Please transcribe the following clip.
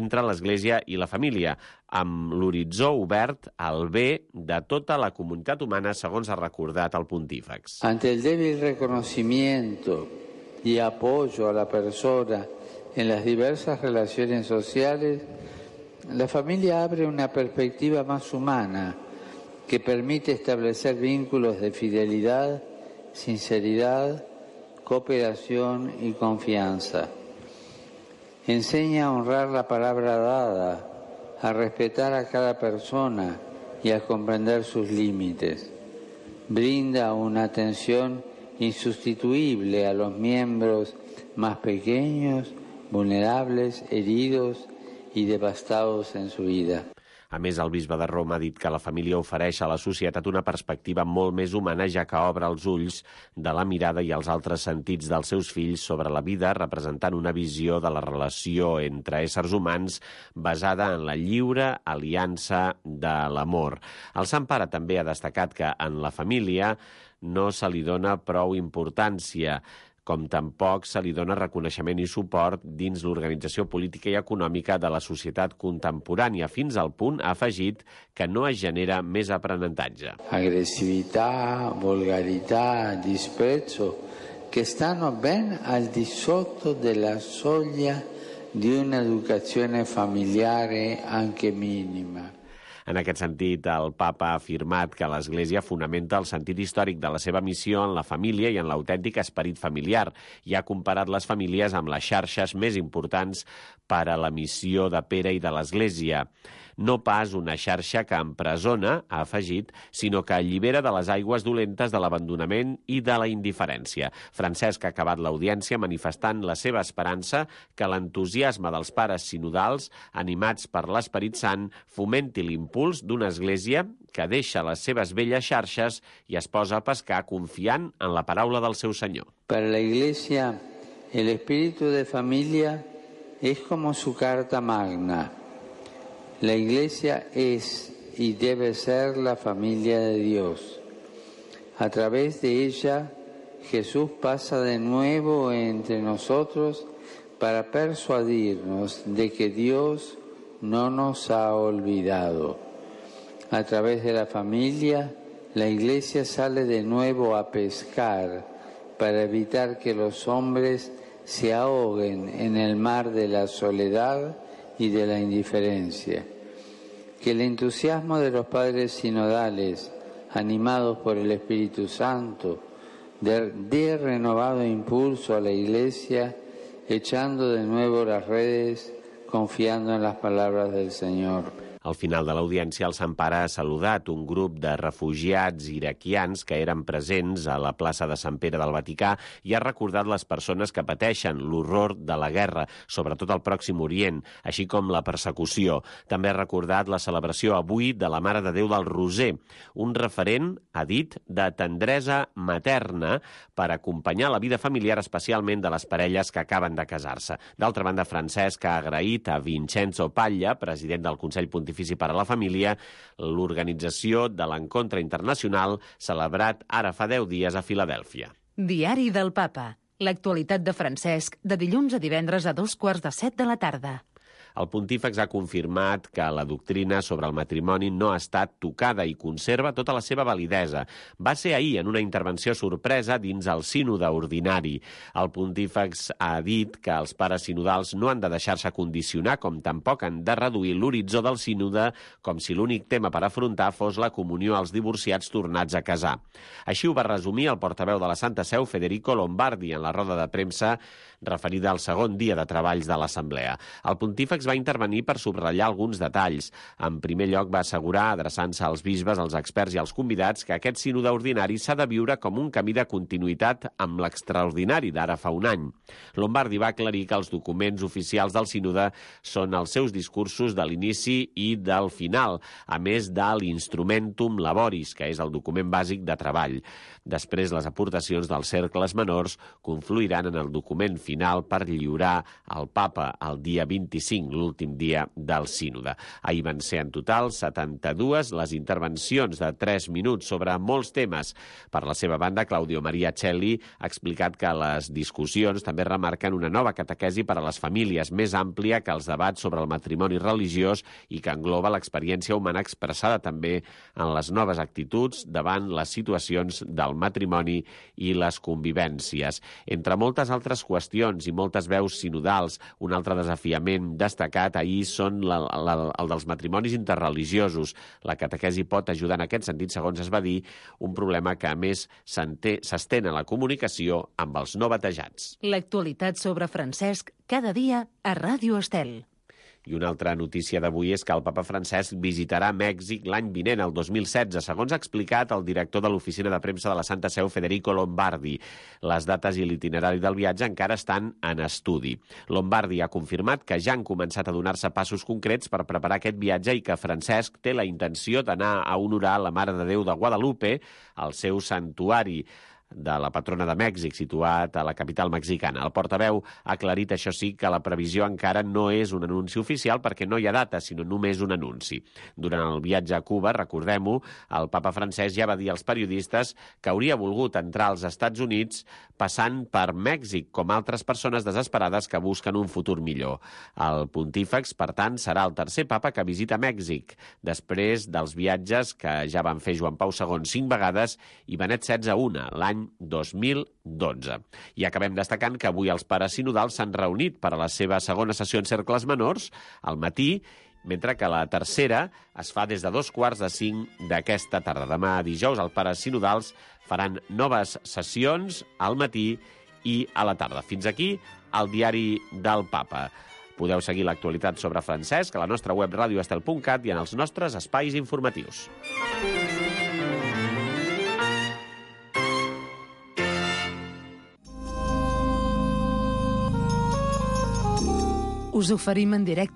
entre l'Església i la família, amb l'horitzó obert al bé de tota la comunitat humana, segons ha recordat el pontífex. Ante el débil reconocimiento y apoyo a la persona en las diversas relaciones sociales, la familia abre una perspectiva más humana que permite establecer vínculos de fidelidad, sinceridad, cooperación y confianza. Enseña a honrar la palabra dada, a respetar a cada persona y a comprender sus límites. Brinda una atención insustituible a los miembros más pequeños, vulnerables, heridos y devastados en su vida. A més, el bisbe de Roma ha dit que la família ofereix a la societat una perspectiva molt més humana, ja que obre els ulls de la mirada i els altres sentits dels seus fills sobre la vida, representant una visió de la relació entre éssers humans basada en la lliure aliança de l'amor. El Sant Pare també ha destacat que en la família no se li dona prou importància, com tampoc se li dona reconeixement i suport dins l'organització política i econòmica de la societat contemporània, fins al punt, ha afegit, que no es genera més aprenentatge. Aggressività, volgarità, disprezzo, che stanno ben al di sotto della soglia di un'educazione familiare anche minima. En aquest sentit, el papa ha afirmat que l'Església fonamenta el sentit històric de la seva missió en la família i en l'autèntic esperit familiar, i ha comparat les famílies amb les xarxes més importants per a la missió de Pere i de l'Església. No pas una xarxa que empresona, ha afegit, sinó que allibera de les aigües dolentes de l'abandonament i de la indiferència. Francesc ha acabat l'audiència manifestant la seva esperança que l'entusiasme dels pares sinodals, animats per l'Esperit Sant, fomenti l'impuls d'una església que deixa les seves velles xarxes i es posa a pescar confiant en la paraula del seu Senyor. Per la Iglesia, el espíritu de familia es como su carta magna. La Iglesia es y debe ser la familia de Dios. A través de ella, Jesús pasa de nuevo entre nosotros para persuadirnos de que Dios no nos ha olvidado. A través de la familia, la Iglesia sale de nuevo a pescar para evitar que los hombres se ahoguen en el mar de la soledad y de la indiferencia. Que el entusiasmo de los padres sinodales, animados por el Espíritu Santo, dé renovado impulso a la Iglesia, echando de nuevo las redes, confiando en las palabras del Señor. Al final de l'audiència, el Sant Pare ha saludat un grup de refugiats iraquians que eren presents a la plaça de Sant Pere del Vaticà i ha recordat les persones que pateixen l'horror de la guerra, sobretot al Pròxim Orient, així com la persecució. També ha recordat la celebració avui de la Mare de Déu del Roser, un referent, ha dit, de tendresa materna per acompanyar la vida familiar, especialment de les parelles que acaben de casar-se. D'altra banda, Francesc ha agraït a Vincenzo Paglia, president del Consell Pontifici per a la Família, l'organització de l'encontre internacional celebrat ara fa 10 dies a Filadèlfia. Diari del Papa. L'actualitat de Francesc, de dilluns a divendres a 2:45 de la tarda. El pontífex ha confirmat que la doctrina sobre el matrimoni no ha estat tocada i conserva tota la seva validesa. Va ser ahir en una intervenció sorpresa dins el sínode ordinari. El pontífex ha dit que els pares sinodals no han de deixar-se condicionar, com tampoc han de reduir l'horitzó del sínode com si l'únic tema per afrontar fos la comunió als divorciats tornats a casar. Així ho va resumir el portaveu de la Santa Seu, Federico Lombardi, en la roda de premsa referida al segon dia de treballs de l'Assemblea. El pontífex va intervenir per subratllar alguns detalls. En primer lloc, va assegurar, adreçant-se als bisbes, als experts i als convidats, que aquest sínode ordinari s'ha de viure com un camí de continuïtat amb l'extraordinari d'ara fa un any. Lombardi va aclarir que els documents oficials del sínode són els seus discursos de l'inici i del final, a més de l'Instrumentum Laboris, que és el document bàsic de treball. Després, les aportacions dels cercles menors confluiran en el document final per lliurar al papa el dia 25, l'últim dia del sínode. Ahir van ser en total 72 les intervencions de 3 minuts sobre molts temes. Per la seva banda, Claudio Maria Celli ha explicat que les discussions també remarquen una nova catequesi per a les famílies, més àmplia que els debats sobre el matrimoni religiós i que engloba l'experiència humana expressada també en les noves actituds davant les situacions del matrimoni i les convivències. Entre moltes altres qüestions i moltes veus sinodals, un altre desafiament destacat ahir són el dels matrimonis interreligiosos. La catequesi pot ajudar en aquest sentit, segons es va dir, un problema que a més s'estén a la comunicació amb els no batejats. L'actualitat sobre Francesc cada dia a Ràdio Estel. I una altra notícia d'avui és que el papa Francesc visitarà Mèxic l'any vinent, el 2016, segons ha explicat el director de l'oficina de premsa de la Santa Seu, Federico Lombardi. Les dates i l'itinerari del viatge encara estan en estudi. Lombardi ha confirmat que ja han començat a donar-se passos concrets per preparar aquest viatge i que Francesc té la intenció d'anar a honorar la Mare de Déu de Guadalupe, al seu santuari de la patrona de Mèxic, situat a la capital mexicana. El portaveu ha aclarit, això sí, que la previsió encara no és un anunci oficial perquè no hi ha data, sinó només un anunci. Durant el viatge a Cuba, recordem-ho, el papa Francesc ja va dir als periodistes que hauria volgut entrar als Estats Units passant per Mèxic, com altres persones desesperades que busquen un futur millor. El pontífex, per tant, serà el tercer papa que visita Mèxic, després dels viatges que ja van fer Joan Pau II 5 vegades i Benet XVI una, l'any 2012. I acabem destacant que avui els pares sinodals s'han reunit per a la seva segona sessió en cercles menors al matí, mentre que la tercera es fa des de 4:45 d'aquesta tarda. Demà dijous els pares sinodals faran noves sessions al matí i a la tarda. Fins aquí el diari del papa. Podeu seguir l'actualitat sobre Francesc a la nostra web radioestel.cat i en els nostres espais informatius. Us oferim en directe